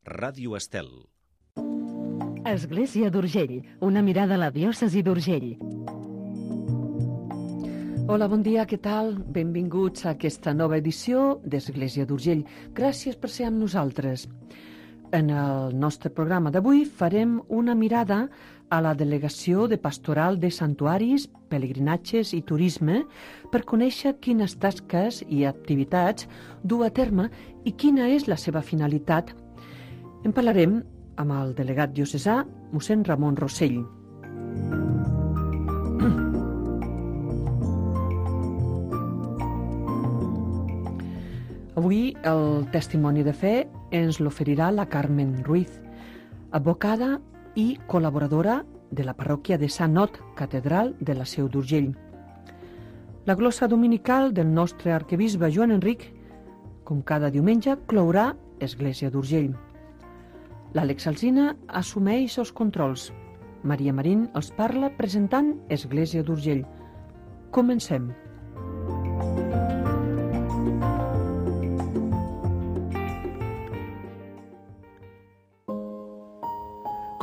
Ràdio Estel. Església d'Urgell, una mirada a la diòcesi d'Urgell. Hola, bon dia, què tal? Benvinguts a aquesta nova edició d'Església d'Urgell. Gràcies per ser amb nosaltres. En el nostre programa d'avui farem una mirada a la Delegació de Pastoral de Santuaris, Pelegrinatges i Turisme per conèixer quines tasques i activitats du a terme i quina és la seva finalitat. En parlarem amb el delegat diocesà, mossèn Ramon Rossell. Avui el testimoni de fe ens l'oferirà la Carmen Ruiz, advocada i col·laboradora de la parròquia de Sant Ot, catedral de la Seu d'Urgell. La glossa dominical del nostre arquebisbe Joan Enric, com cada diumenge, clourà Església d'Urgell. L'Àlex Alsina assumeix els controls. Maria Marín els parla presentant Església d'Urgell. Comencem.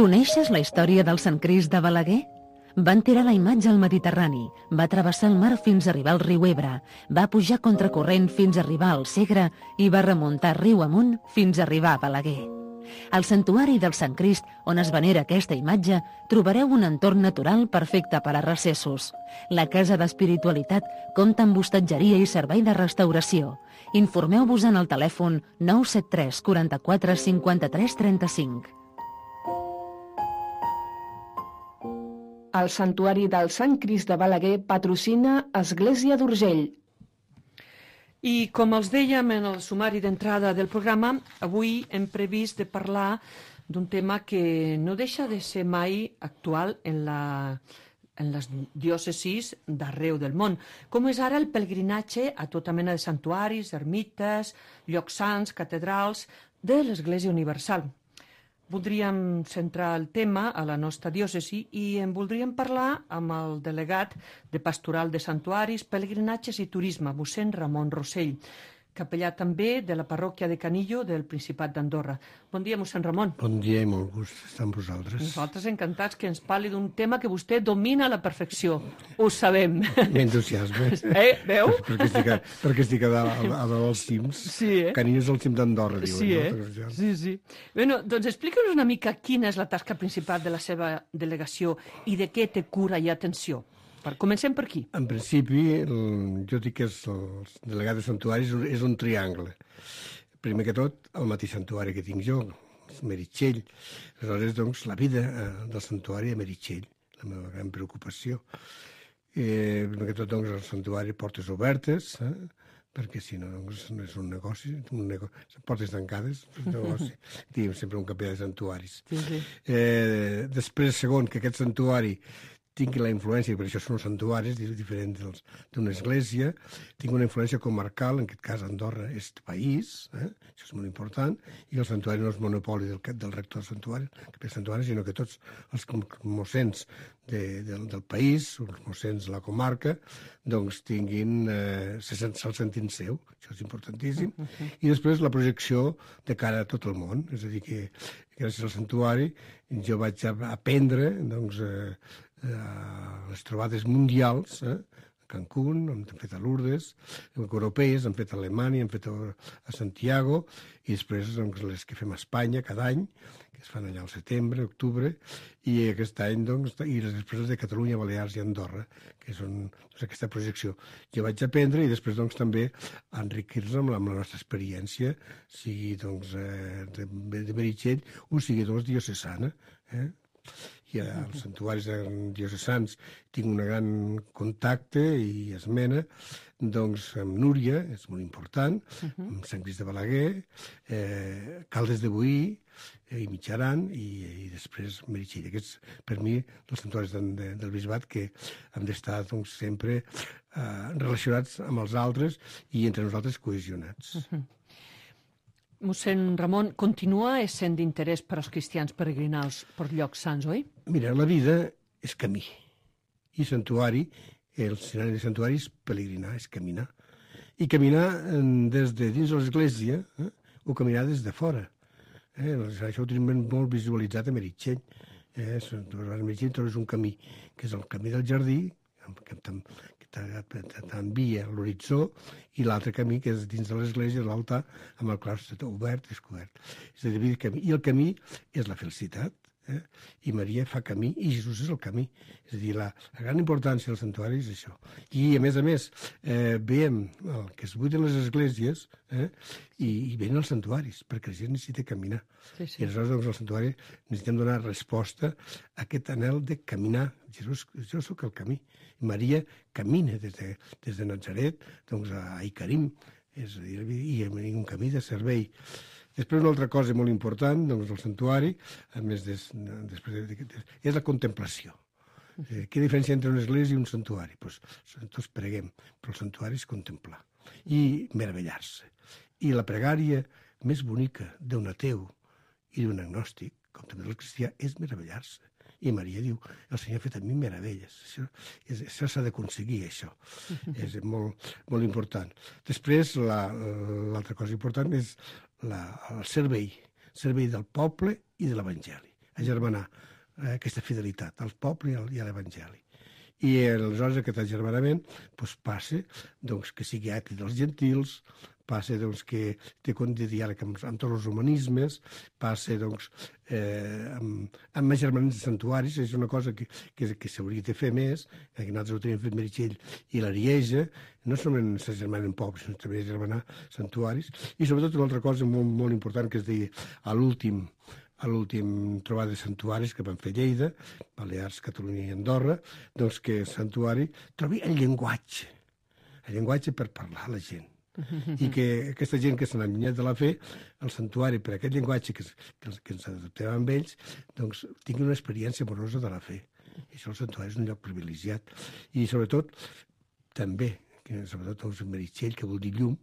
Coneixes la història del Sant Crist de Balaguer? Van tirar la imatge al Mediterrani, va travessar el mar fins a arribar al riu Ebre, va pujar contracorrent fins a arribar al Segre i va remuntar riu amunt fins a arribar a Balaguer. Al santuari del Sant Crist, on es venera aquesta imatge, trobareu un entorn natural perfecte per a recessos. La Casa d'Espiritualitat compta amb hostatgeria i servei de restauració. Informeu-vos en el telèfon 973 44 53 35. El Santuari del Sant Crist de Balaguer patrocina Església d'Urgell. I com els dèiem en el sumari d'entrada del programa, avui hem previst de parlar d'un tema que no deixa de ser mai actual en les diòcesis d'arreu del món, com és ara el pelegrinatge a tota mena de santuaris, ermites, llocs sants, catedrals de l'Església Universal. Voldríem centrar el tema a la nostra diòcesi i en voldríem parlar amb el delegat de Pastoral de Santuaris, Pelegrinatges i Turisme, mossèn Ramon Rossell, capellà també de la parròquia de Canillo del Principat d'Andorra. Bon dia, mossèn Ramon. Bon dia i molt gust estar amb vosaltres. Nosaltres encantats que ens parli d'un tema que vostè domina a la perfecció. Ho sabem. M'entusiasme. Veu? perquè estic a dalt dels cims. Sí, Canillo és el cim d'Andorra, diuen. Sí, sí. Bueno, doncs explica'ns una mica quina és la tasca principal de la seva delegació i de què té cura i atenció. Comencem per aquí. En principi, jo dic que el delegat de santuaris és un triangle. Primer que tot, el mateix santuari que tinc jo, Meritxell. Aleshores, doncs, la vida del santuari a Meritxell, la meva gran preocupació. Primer que tot, doncs, el santuari portes obertes, perquè si no, doncs, no és un negoci, portes tancades, és un negoci. Diguem sempre un capellà de santuaris. Sí. Després, segon, que aquest santuari tingui la influència, per això són santuaris diferents d'una església, tingui una influència comarcal, en aquest cas Andorra és país, això és molt important, i el santuari no és monopoli del rector del santuari, sinó que tots els mossens del país, els mossens de la comarca, doncs tinguin, se'l sentin seu, això és importantíssim, i després la projecció de cara a tot el món, és a dir que gràcies al santuari jo vaig aprendre, doncs, les trobades mundials, a Cancún, hem fet a Lourdes, europees, hem fet a Alemanya, hem fet a Santiago, i després doncs, les que fem a Espanya cada any, que es fan allà al setembre, octubre, i aquest any, doncs, i les després de Catalunya, Balears i Andorra, que són doncs, aquesta projecció. Jo vaig aprendre i després doncs, també enriquir-nos amb la nostra experiència, sigui doncs, de Meritxell o sigui doncs, diocesana, i als santuaris diocesans tinc un gran contacte i esmena doncs amb Núria, és molt important, amb Sant Crist de Balaguer, Caldes de Boí i Mitjaran i després Meritxell. Aquests, per mi, els santuaris del bisbat que hem d'estar doncs, sempre relacionats amb els altres i entre nosaltres cohesionats. Mossèn Ramon, continua essent d'interès per als cristians peregrinar per llocs sants, oi? Mira, la vida és camí. I santuari, el escenari de santuari és peregrinar, és caminar. I caminar des de dins de l'església o caminar des de fora. Això ho tenim molt visualitzat a Meritxell. A Meritxell trobes un camí, que és el camí del jardí, que t'envia a l'horitzó, i l'altre camí, que és dins de l'església, l'altar, amb el claustre obert, descobert. És a dir, i el camí és la felicitat, i Maria fa camí, i Jesús és el camí. És a dir, la gran importància del santuari és això. I, a més, veiem que es buiden les esglésies i venen els santuaris, perquè la gent necessita caminar. Sí. I aleshores, doncs, al santuari necessitem donar resposta a aquest anhel de caminar. Jesús, jo sóc el camí. Maria camina des de Nazaret doncs, a Icarim, és a dir, i un camí de servei. Després, una altra cosa molt important doncs, del santuari, a més és la contemplació. Quina diferència entre una església i un santuari? Doncs tots preguem, però el santuari és contemplar i meravellar-se. I la pregària més bonica d'un ateu i d'un agnòstic, com també del cristià, és meravellar-se. I Maria diu, el Senyor ha fet a mi meravelles. Això s'ha d'aconseguir, això. És molt, molt important. Després, l'altra cosa important és el servei del poble i de l'Evangeli. Agermanar aquesta fidelitat al poble i a l'Evangeli. I aleshores aquest agermanament passa que sigui ètic dels gentils, passa que té compte de diàleg amb tots els humanismes, passa amb agermanaments de santuaris, és una cosa que s'hauria de fer més, que nosaltres ho tenim fet Meritxell i l'Arieja, no solament s'agermanen pobles, sinó també agermanar santuaris, i sobretot una altra cosa molt, molt important que es deia a l'últim trobada de santuaris que van fer Lleida, Balears, Catalunya i Andorra, doncs que el santuari trobi el llenguatge per parlar a la gent. I que aquesta gent que s'han allunyat de la fe, el santuari, per aquest llenguatge que ens adaptem amb ells, doncs tingui una experiència amorosa de la fe. I això el santuari és un lloc privilegiat. I sobretot, també, sobretot els Meritxell, que vol dir llum,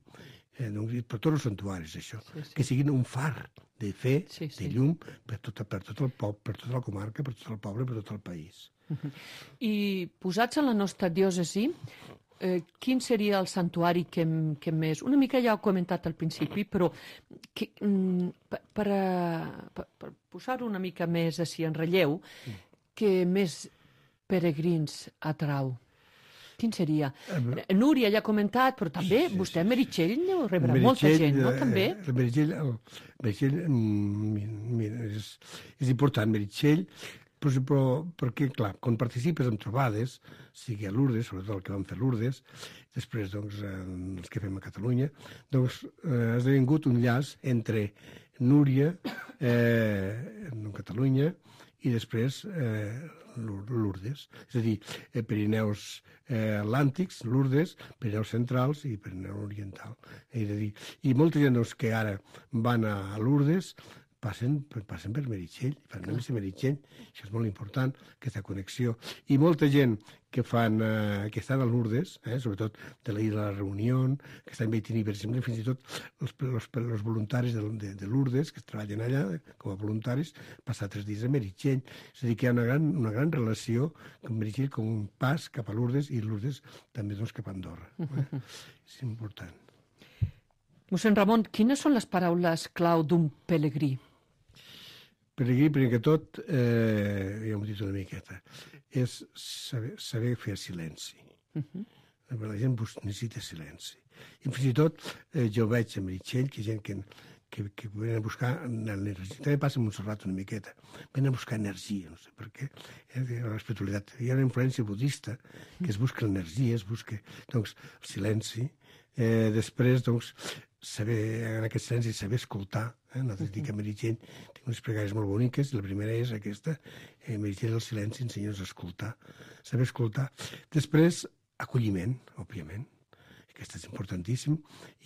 per tots els santuaris, això, que siguin un far de fe, de llum, per tot el poble, per tota la comarca, per tot el poble, per tot el país. I posats en la nostra diòcesi, quin seria el santuari que més... Una mica ja ho he comentat al principi, però per posar-ho una mica més així en relleu, que més peregrins atrau? Quin seria? Núria ja ha comentat, però també vostè a Meritxell rebrà molta gent, no? També? Meritxell és important, Meritxell, però perquè, clar, quan participes en trobades, sigui a Lourdes, sobretot el que vam fer a Lourdes, després, doncs, els que fem a Catalunya, doncs, ha esdevingut un llaç entre Núria, Catalunya, i després Lourdes. És a dir, Pirineus Atlàntics, Lourdes, Pirineus Centrals i Pirineu Oriental. És a dir, i molta gent que ara van a Lourdes passen per Meritxell, fan una missa a Meritxell, això és molt important, aquesta connexió. I molta gent que estan a Lourdes, sobretot de la Illa de la Reunió, que estan bé per exemple, fins i tot els voluntaris de Lourdes, que treballen allà com a voluntaris, passar 3 dies a Meritxell. És a dir, que hi ha una gran relació amb Meritxell com un pas cap a Lourdes i Lourdes també cap a Andorra. És important. Mossèn Ramon, quines són les paraules clau d'un pelegrí? Pelegrí, primer que tot, ja m'ho he dit una miqueta, és saber fer silenci. La gent necessita silenci. I fins i tot jo veig a Meritxell que hi ha gent que venen a buscar energia. També passa a Montserrat una miqueta. Venen a buscar energia, no sé per què. L'espiritualitat. Hi ha una influència budista que es busca l'energia, es busca el silenci. Després, en aquest silenci, saber escoltar. Nosaltres dic a Meritxell, tinc unes pregàries molt boniques, i la primera és aquesta, Meritxell, el silenci, ensenya'ns a escoltar. Saber escoltar. Després, acolliment, òbviament. Aquest és importantíssim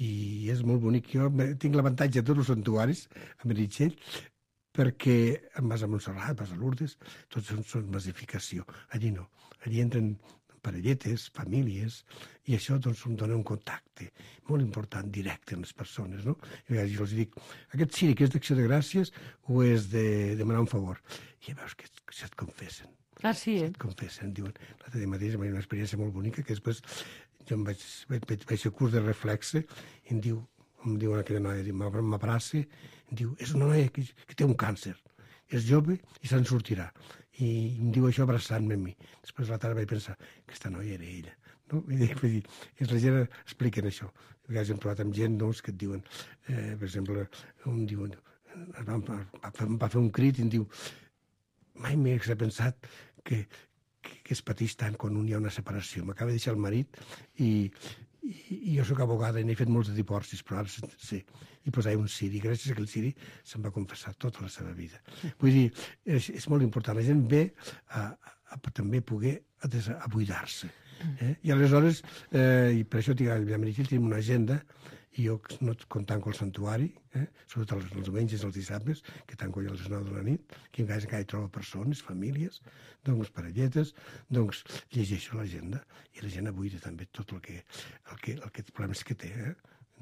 i és molt bonic. Jo tinc l'avantatge de tots els santuaris a Meritxell perquè vas a Montserrat, vas a Lourdes, tots són masificació. Allí no. Allí entren parelletes, famílies, i això em dona un contacte molt important, directe amb les persones, no? I a vegades jo els dic, aquest ciri que és d'acció de gràcies o és de demanar un favor? I ja veus que se't confessen. Ah, sí, Se't confessen. Diuen, l'altre dia mateix va haver una experiència molt bonica que després jo vaig fer curs de reflexe i em diu aquella noia, m'abraça, em diu, és una noia que té un càncer, és jove i se'n sortirà. I em diu això abraçant-me a mi. Després a la tarda vaig pensar, aquesta noia era ella. No? Vull dir, la gent expliquen això. A vegades hem trobat amb gent doncs, que et diuen, per exemple, un diu, va fer un crit i em diu, mai m'he pensat que es pateix tant quan hi ha una separació. M'acaba de deixar el marit i jo sóc abogada i n'he fet molts de divorcis, però ara sé. I posava un ciri. Gràcies a aquell ciri se'm va confessar tota la seva vida. Vull dir, és molt important. La gent ve a també poder a buidar-se. I aleshores, i per això a Meritxell tenim una agenda, i jo quan tanco el santuari, sobretot els diumenges i els dissabtes, que tanco ja a les 9 de la nit, que encara hi trobo persones, famílies, doncs parelletes, doncs llegeixo l'agenda i la gent buida també tot el problemes que té.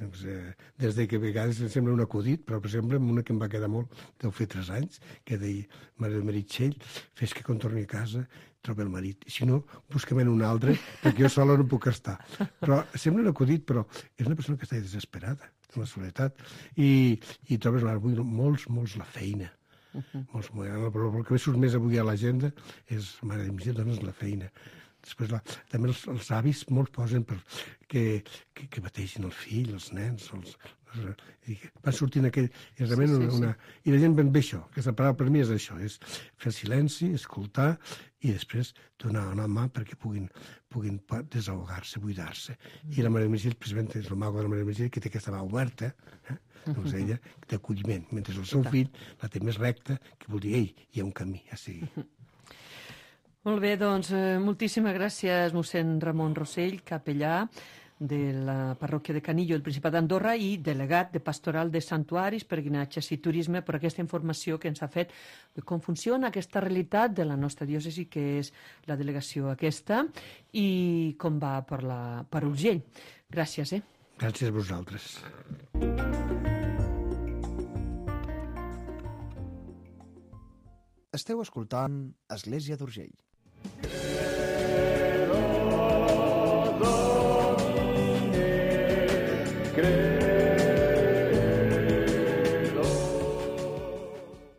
Doncs, des de que a vegades em sembla un acudit, però per exemple una que em va quedar molt, deu fer 3 anys, que deia, Mare de Meritxell, fes que quan torni a casa trobi el marit, i si no, busca'm un altre, perquè jo sola no puc estar. Però sembla un acudit, però és una persona que està desesperada, en la soledat, i trobes avui molts la feina. Però el que surt més avui a l'agenda és, Mare de Meritxell, dona'ns la feina. Després, també els avis molts posen que bateixin el fill, els nens, van sortint aquell... I la gent ben bé això, aquesta paraula per mi és això, és fer silenci, escoltar i després donar una mà perquè puguin desahogar-se, buidar-se. I la Mare de Meritxell, precisament, és el mago de la Mare de Meritxell, que té aquesta mà oberta, doncs ella, d'acolliment, mentre el seu fill la té més recta, que vol dir, ei, hi ha un camí, ja sigui. Molt bé, doncs, moltíssimes gràcies, mossèn Ramon Rossell, capellà de la parròquia de Canillo, el Principat d'Andorra, i delegat de Pastoral de Santuaris, Peregrinatges i Turisme, per aquesta informació que ens ha fet de com funciona aquesta realitat de la nostra diòcesi, que és la delegació aquesta, i com va per Urgell. Gràcies, Gràcies a vosaltres. Esteu escoltant Església d'Urgell.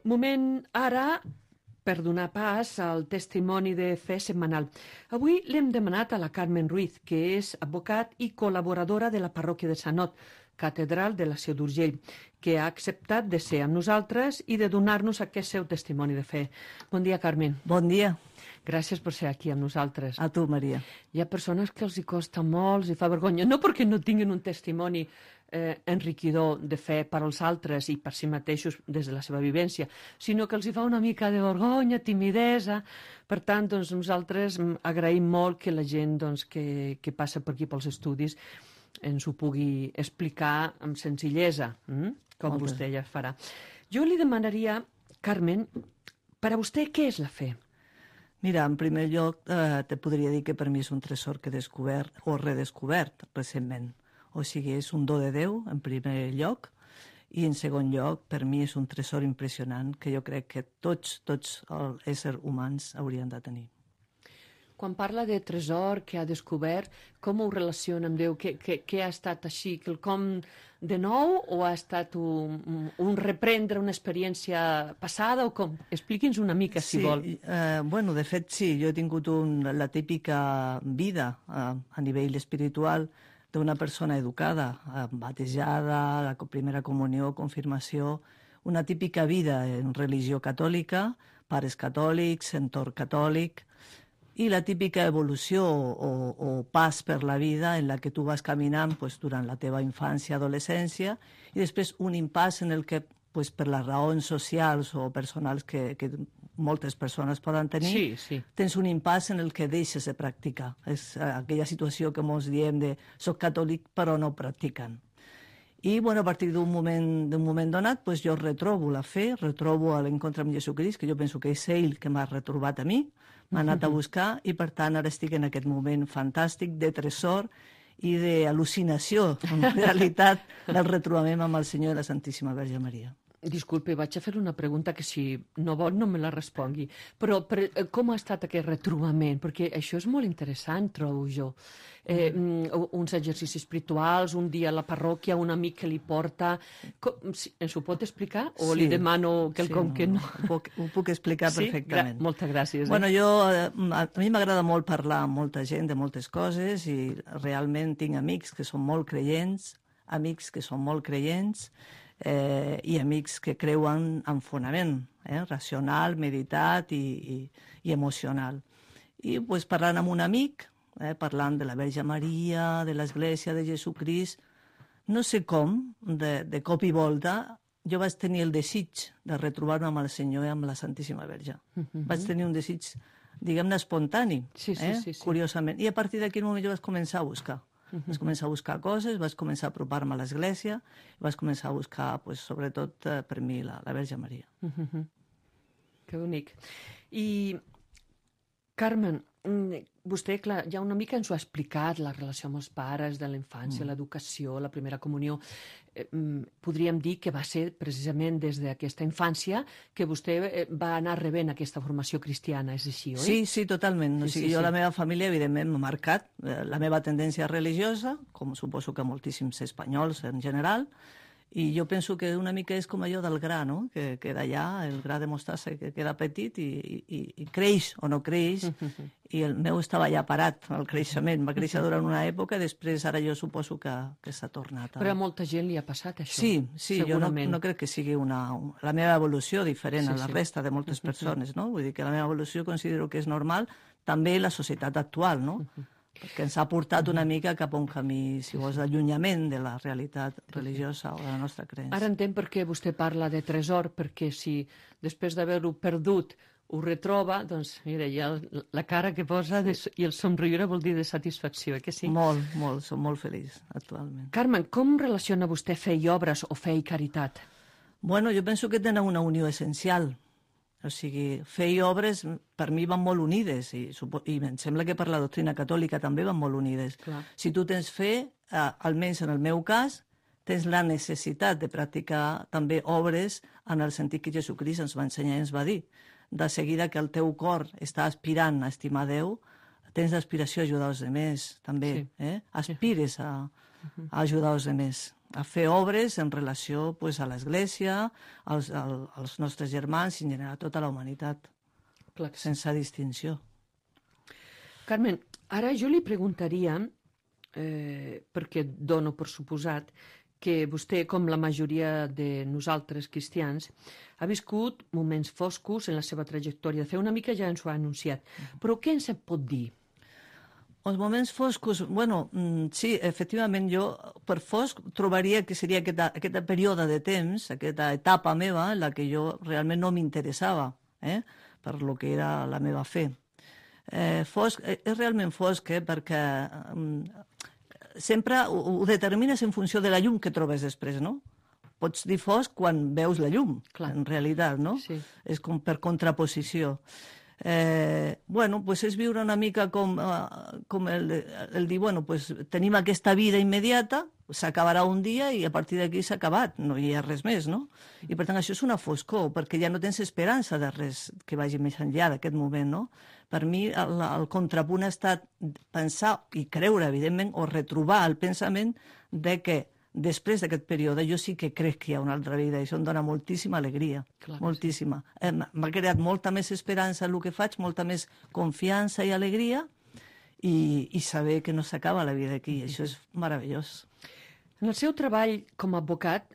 Moment ara per donar pas al testimoni de fe setmanal. Avui l'hem demanat a la Carmen Ruiz, que és advocat i col·laboradora de la parròquia de Sant Ot, catedral de la Seu d'Urgell, que ha acceptat de ser amb nosaltres i de donar-nos aquest seu testimoni de fe. Bon dia, Carmen. Bon dia. Gràcies per ser aquí amb nosaltres. A tu, Maria. Hi ha persones que els hi costa molt, els hi fa vergonya, no perquè no tinguin un testimoni enriquidor de fe per als altres i per si mateixos des de la seva vivència, sinó que els hi fa una mica de vergonya, timidesa. Per tant, doncs, nosaltres agraïm molt que la gent doncs, que passa per aquí pels estudis ens ho pugui explicar amb senzillesa, com vostè ja farà. Jo li demanaria, Carmen, per a vostè, què és la fe? Mira, en primer lloc, te podria dir que per mi és un tresor que he descobert o redescobert recentment. O sigui, és un do de Déu, en primer lloc, i en segon lloc, per mi és un tresor impressionant que jo crec que tots els éssers humans haurien de tenir. Quan parla de tresor que ha descobert, com ho relaciona amb Déu? Què ha estat així? Quelcom de nou o ha estat un reprendre una experiència passada o com? Expliqui'ns una mica, si vol. Bueno, de fet, sí. Jo he tingut la típica vida a nivell espiritual d'una persona educada, batejada, la primera comunió, confirmació, una típica vida en religió catòlica, pares catòlics, entorn catòlic, i la típica evolució o pas per la vida en la que tu vas caminant durant la teva infància, adolescència, i després un impàs en el que, per les raons socials o personals que moltes persones poden tenir, tens un impàs en el que deixes de practicar. És aquella situació que ens diem de soc catòlic però no practiquen. I a partir d'un moment donat jo retrobo la fe, retrobo l'encontre amb Jesucrist, que jo penso que és ell que m'ha retrobat a mi, m'ha anat a buscar i per tant ara estic en aquest moment fantàstic de tresor i d'al·lucinació, en realitat, del retrobament amb el Senyor i la Santíssima Verge Maria. Disculpe, vaig a fer una pregunta que si no vol no me la respongui. Però com ha estat aquest retrobament? Perquè això és molt interessant, trobo jo. Uns exercicis espirituals, un dia a la parròquia, un amic que li porta... Ens ho pot explicar? O li demano quelcom que no? Ho puc explicar perfectament. Moltes gràcies. Bueno, a mi m'agrada molt parlar amb molta gent de moltes coses i realment tinc amics que són molt creients, amics que són molt creients, i amics que creuen en fonament, racional, meditat i emocional. I pues, parlant amb un amic, parlant de la Verge Maria, de l'Església de Jesucrist, no sé com, de cop i volta, jo vaig tenir el desig de retrobar-me amb el Senyor i amb la Santíssima Verge. Vaig tenir un desig, diguem-ne, espontani, curiosament. I a partir d'aquell moment jo vaig començar a buscar. Vaig començar a buscar coses, vaig començar a apropar-me a l'Església i vaig començar a buscar, pues, sobretot, per mi, la Verge Maria. Que bonic. I, Carmen, vostè, clar, ja una mica ens ho ha explicat, la relació amb els pares, de la infància, l'educació, la primera comunió. Podríem dir que va ser precisament des d'aquesta infància que vostè va anar rebent aquesta formació cristiana, és així, oi? Sí, totalment. Jo, la meva família, evidentment, m'ha marcat la meva tendència religiosa, com suposo que moltíssims espanyols en general, i jo penso que una mica és com allò del gra, no? Que queda allà, el gra de mostassa que queda petit i creix o no creix, i el meu estava allà parat, el creixement. Va créixer durant una època i després ara jo suposo que s'ha tornat. Però a molta gent li ha passat això. Sí, jo no crec que sigui la meva evolució diferent a la resta de moltes persones, no? Vull dir que la meva evolució considero que és normal, també la societat actual, no? Perquè ens ha portat una mica cap a un camí, si vols, d'allunyament de la realitat religiosa o de la nostra creença. Ara entenc per què vostè parla de tresor, perquè si després d'haver-ho perdut ho retroba, doncs, mira, ja la cara que posa i el somriure vol dir de satisfacció, que sí? Molt, som molt feliços actualment. Carmen, com relaciona vostè fe i obres o fe i caritat? Bueno, jo penso que tenen una unió essencial. O sigui, fe i obres per mi van molt unides i em sembla que per la doctrina catòlica també van molt unides. Clar. Si tu tens fe, almenys en el meu cas, tens la necessitat de practicar també obres en el sentit que Jesucrist ens va ensenyar i ens va dir. De seguida que el teu cor està aspirant a estimar Déu, tens l'aspiració a ajudar els altres, també. Aspires a ajudar els altres, a fer obres en relació pues, a l'Església, als nostres germans i en general a tota la humanitat, sense distinció. Carmen, ara jo li preguntaria, perquè dono per suposat, que vostè, com la majoria de nosaltres cristians, ha viscut moments foscos en la seva trajectòria de fe. Una mica ja ens ho ha anunciat. Però què ens en pot dir? Els moments foscos, bueno, sí, efectivament, jo per fosc trobaria que seria aquest període de temps, aquesta etapa meva en la que jo realment no m'interessava per lo que era la meva fe. Fosc, és realment fosc perquè sempre ho determines en funció de la llum que trobes després, no? Pots dir fosc quan veus la llum, en realitat, no? Sí. És com per contraposició. Bueno, pues és viure una mica com el dir, bueno, pues tenim aquesta vida immediata, s'acabarà un dia i a partir d'aquí s'ha acabat, no hi ha res més, no? I per tant això és una foscor, perquè ja no tens esperança de res que vagi més enllà d'aquest moment, no? Per mi el contrapunt ha estat pensar i creure, evidentment, o retrobar el pensament de que després d'aquest període jo sí que crec que hi ha una altra vida i això em dona moltíssima alegria, moltíssima. M'ha creat molta més esperança en el que faig, molta més confiança i alegria i saber que no s'acaba la vida aquí, això és meravellós. En el seu treball com a advocat,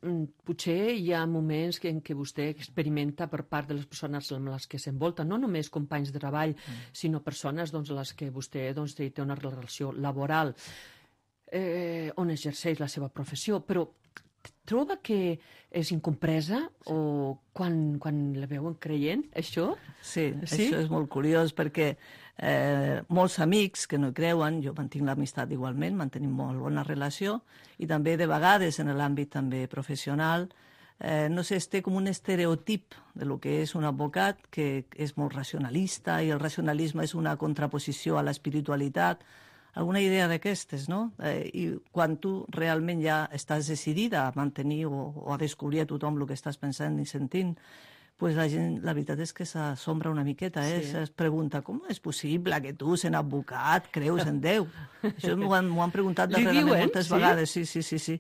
potser hi ha moments en què vostè experimenta per part de les persones amb les que s'envolta, no només companys de treball, sinó persones amb les que vostè té una relació laboral, on exerceix la seva professió, però troba que és incompresa o quan la veuen creient, això? Sí, això és molt curiós perquè molts amics que no hi creuen, jo mantinc l'amistat igualment, mantenim molt bona relació i també de vegades en l'àmbit també professional, no sé, es té com un estereotip de lo que és un advocat que és molt racionalista i el racionalisme és una contraposició a l'espiritualitat. alguna idea d'aquestes, no? I quan tu realment ja estàs decidida a mantenir o a descobrir a tothom el que estàs pensant i sentint, pues la gent, la veritat és que s'assombra una miqueta, es pregunta, com és possible que tu, sent advocat, creus en Déu? Això m'ho han preguntat darrerament moltes vegades, sí.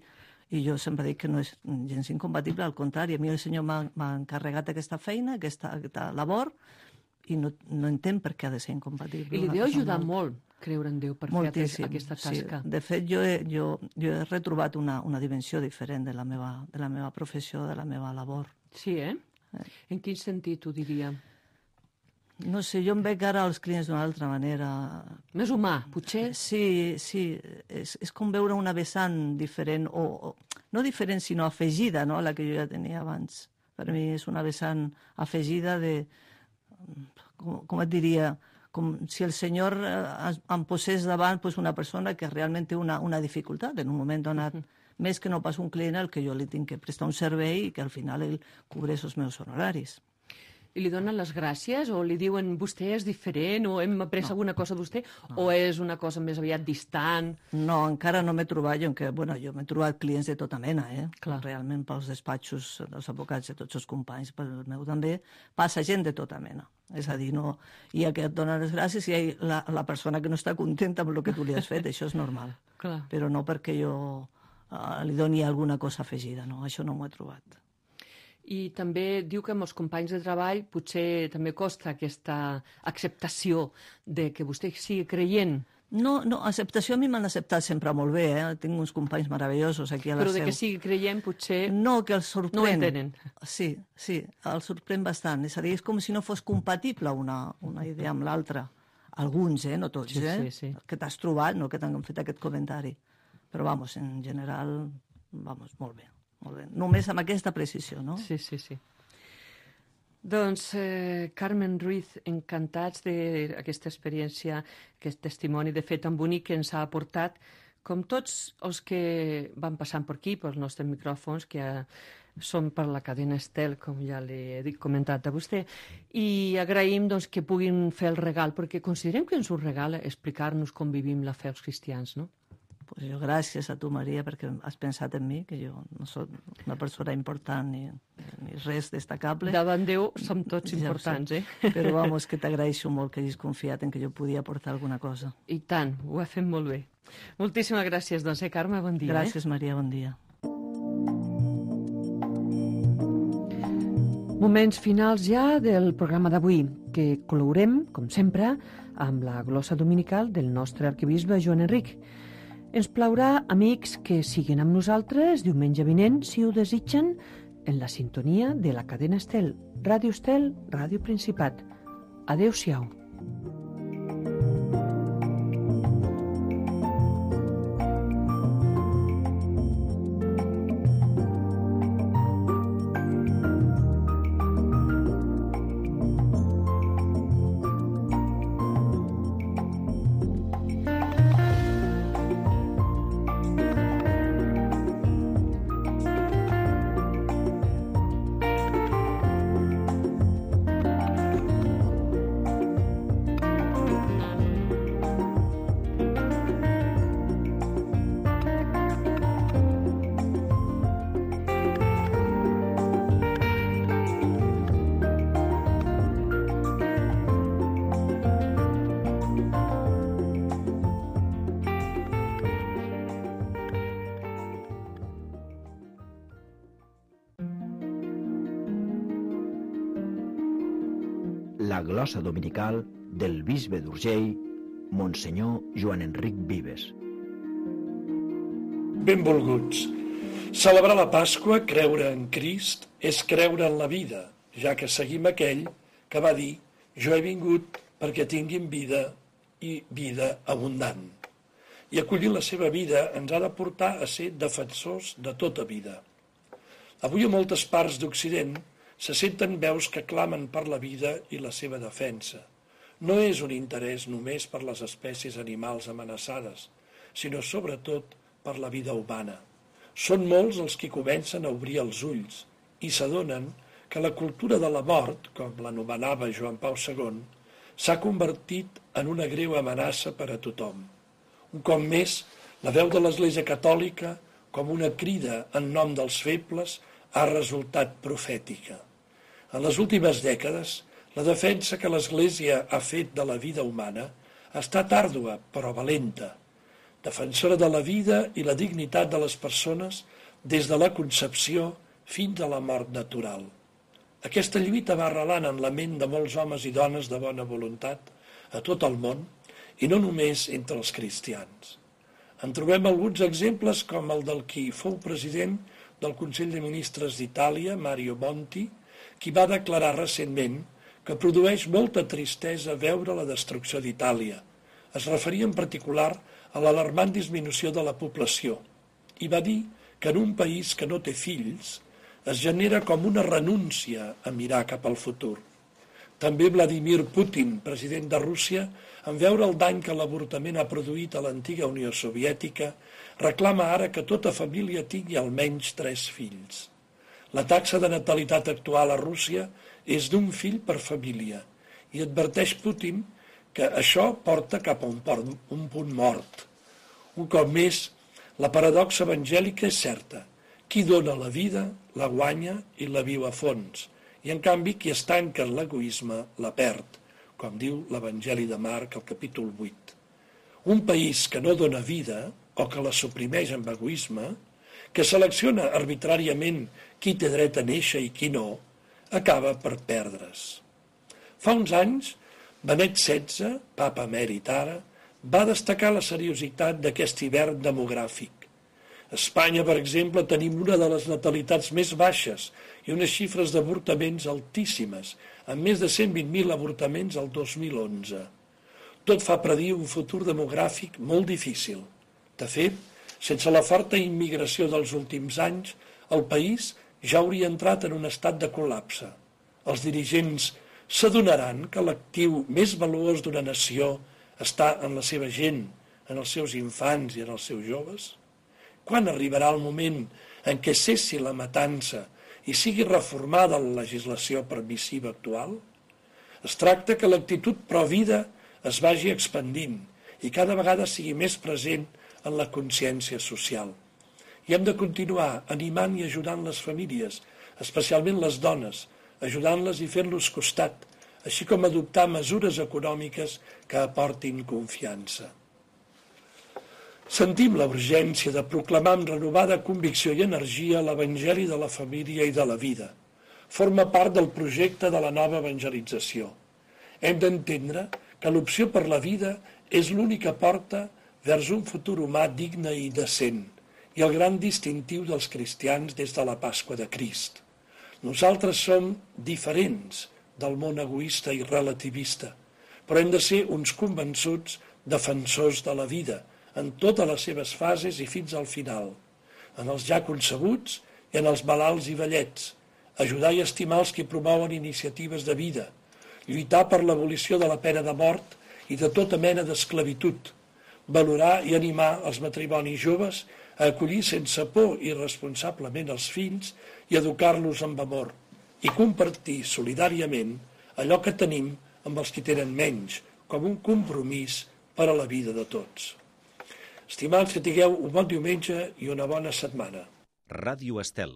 I jo sempre dic que no és gens incompatible, al contrari, a mi el Senyor m'ha encarregat aquesta feina, aquesta labor, i no entenc per què ha de ser incompatible. I li deu ajudar molt creure en Déu per fer aquesta tasca. Sí. De fet, jo he retrobat una dimensió diferent de la meva professió, de la meva labor. Sí, En quin sentit ho diria? No sé, jo em veig ara als clients d'una altra manera. Més humà, potser? Sí, és com veure una vessant diferent, o no diferent, sinó afegida, no?, a la que jo ja tenia abans. Per mi és una vessant afegida de, com et diria, com si el Senyor em posés davant una persona que realment té una dificultat en un moment donat, més que no pas un client al que jo li tinc que prestar un servei i que al final ell cobreix els meus honoraris. I li donen les gràcies o li diuen vostè és diferent o hem après alguna cosa de vostè o és una cosa més aviat distant? No, encara no m'he trobat, jo m'he trobat clients de tota mena, Clar. Realment pels despatxos dels advocats de tots els companys, pel meu també, passa gent de tota mena. És a dir, no hi ha que et donen les gràcies i hi ha la persona que no està contenta amb el que tu li has fet, això és normal. Clar. Però no perquè jo li doni alguna cosa afegida, no? Això no m'ho he trobat. I també diu que amb els companys de treball potser també costa aquesta acceptació de que vostè sigui creient. No, acceptació a mi m'han acceptat sempre molt bé, Tinc uns companys meravellosos aquí a la Però seu. de que sigui creient potser No, que els sorprèn. no ho entenen. Sí, els sorprèn bastant. És a dir, és com si no fos compatible una idea amb l'altra. Alguns, no tots, Sí. que t'has trobat, no que t'han fet aquest comentari. Però, en general, molt bé. Només amb aquesta precisió, no? Sí. Doncs, Carmen Ruiz, encantats d'aquesta experiència, aquest testimoni de fet tan bonic que ens ha aportat, com tots els que van passant per aquí, pels nostres micròfons, que són per la cadena Estel, com ja li he comentat a vostè, i agraïm que puguin fer el regal, perquè considerem que ens ho regala explicar-nos com vivim la fe els cristians, no? Pues jo gràcies a tu, Maria, perquè has pensat en mi, que jo no soc una persona important ni res destacable. Davant Déu som tots importants, Però que t'agraeixo molt que hagis confiat en que jo podia aportar alguna cosa. I tant, ho ha fet molt bé. Moltíssimes gràcies, Carme, bon dia. Gràcies, Maria, bon dia. Moments finals ja del programa d'avui, que clourem, com sempre, amb la glossa dominical del nostre arquebisbe Joan Enric. Ens plaurà, amics, que siguin amb nosaltres diumenge vinent, si ho desitgen, en la sintonia de la cadena Estel, Ràdio Principat. Adéu-siau. La glossa dominical del bisbe d'Urgell, Monsenyor Joan Enric Vives. Benvolguts. Celebrar la Pasqua, creure en Crist, és creure en la vida, ja que seguim aquell que va dir «Jo he vingut perquè tinguin vida i vida abundant». I acollir la seva vida ens ha de portar a ser defensors de tota vida. Avui a moltes parts d'Occident se senten veus que clamen per la vida i la seva defensa. No és un interès només per les espècies animals amenaçades, sinó sobretot per la vida humana. Són molts els que comencen a obrir els ulls i s'adonen que la cultura de la mort, com l'anomenava Joan Pau II, s'ha convertit en una greu amenaça per a tothom. Un cop més, la veu de l'Església Catòlica, com una crida en nom dels febles, ha resultat profètica. En les últimes dècades, la defensa que l'Església ha fet de la vida humana ha estat àrdua, però valenta, defensora de la vida i la dignitat de les persones des de la concepció fins a la mort natural. Aquesta lluita va arrelant en la ment de molts homes i dones de bona voluntat a tot el món i no només entre els cristians. En trobem alguns exemples com el del qui fou president del Consell de Ministres d'Itàlia, Mario Monti, qui va declarar recentment que produeix molta tristesa veure la destrucció d'Itàlia. Es referia en particular a l'alarmant disminució de la població i va dir que en un país que no té fills es genera com una renúncia a mirar cap al futur. També Vladimir Putin, president de Rússia, en veure el dany que l'avortament ha produït a l'antiga Unió Soviètica, reclama ara que tota família tingui almenys 3 fills. La taxa de natalitat actual a Rússia és d'1 fill per família i adverteix Putin que això porta cap a un punt mort. Un cop més, la paradoxa evangèlica és certa. Qui dona la vida, la guanya i la viu a fons. I en canvi, qui es tanca en l'egoisme, la perd, com diu l'Evangeli de Marc al capítol 8. Un país que no dona vida, o que la suprimeix amb egoisme, que selecciona arbitràriament qui té dret a néixer i qui no, acaba per perdre's. Fa uns anys, Benet XVI, papa emèrit ara, va destacar la seriositat d'aquest hivern demogràfic. A Espanya, per exemple, tenim una de les natalitats més baixes i unes xifres d'avortaments altíssimes, amb més de 120.000 avortaments al 2011. Tot fa predir un futur demogràfic molt difícil. De fet, sense la forta immigració dels últims anys, el país ja hauria entrat en un estat de col·lapse. Els dirigents s'adonaran que l'actiu més valuós d'una nació està en la seva gent, en els seus infants i en els seus joves? Quan arribarà el moment en què cessi la matança i sigui reformada la legislació permissiva actual? Es tracta que l'actitud pro-vida es vagi expandint i cada vegada sigui més present en la consciència social. I hem de continuar animant i ajudant les famílies, especialment les dones, ajudant-les i fent-los costat, així com adoptar mesures econòmiques que aportin confiança. Sentim la urgència de proclamar amb renovada convicció i energia l'Evangeli de la família i de la vida. Forma part del projecte de la nova evangelització. Hem d'entendre que l'opció per la vida és l'única porta vers un futur humà digne i decent i el gran distintiu dels cristians des de la Pasqua de Crist. Nosaltres som diferents del món egoista i relativista, però hem de ser uns convençuts defensors de la vida, en totes les seves fases i fins al final, en els ja concebuts i en els malalts i vellets, ajudar i estimar els que promouen iniciatives de vida, lluitar per l'abolició de la pena de mort i de tota mena d'esclavitud, valorar i animar els matrimonis joves a acollir sense por i responsablement els fills i educar-los amb amor i compartir solidàriament allò que tenim amb els que tenen menys, com un compromís per a la vida de tots. Estimats, que tingueu un bon diumenge i una bona setmana. Ràdio Estel.